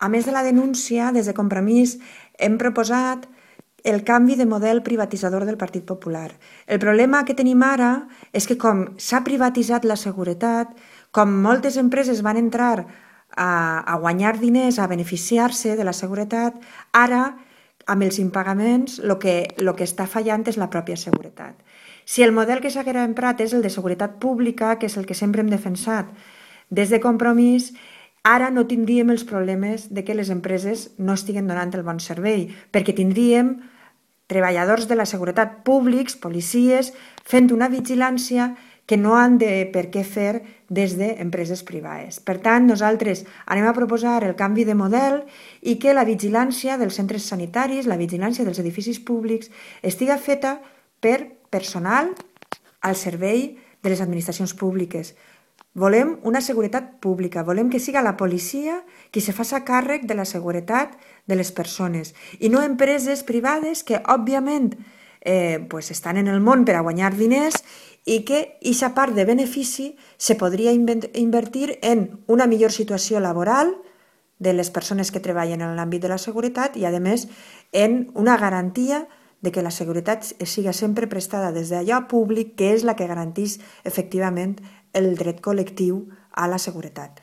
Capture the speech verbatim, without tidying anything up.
a més de la denúncia, des de Compromís hem proposat el canvi de model privatitzador del Partit Popular. El problema que tenim ara és que com s'ha privatitzat la seguretat, com moltes empreses van entrar a, a guanyar diners, a beneficiar-se de la seguretat, ara, amb els impagaments, el que, lo que està fallant és la pròpia seguretat. Si el model que s'haguera emprat és el de seguretat pública, que és el que sempre hem defensat des de Compromís, ara no tindríem els problemes de que les empreses no estiguen donant el bon servei, perquè tindríem treballadors de la seguretat públics, policies, fent una vigilància que no han de per què fer des d'empreses privades. Per tant, nosaltres anem a proposar el canvi de model i que la vigilància dels centres sanitaris, la vigilància dels edificis públics, estiga feta per personal al servei de les administracions públiques. Volem una seguretat pública, volem que siga la policia qui se faci càrrec de la seguretat de les persones i no empreses privades que, òbviament, eh, pues estan en el món per a guanyar diners i que aquesta part de benefici se podria invertir en una millor situació laboral de les persones que treballen en l'àmbit de la seguretat i, a més, en una garantia de que la seguretat siga sempre prestada des d'allò públic, que és la que garanteix efectivament el dret col·lectiu a la seguretat.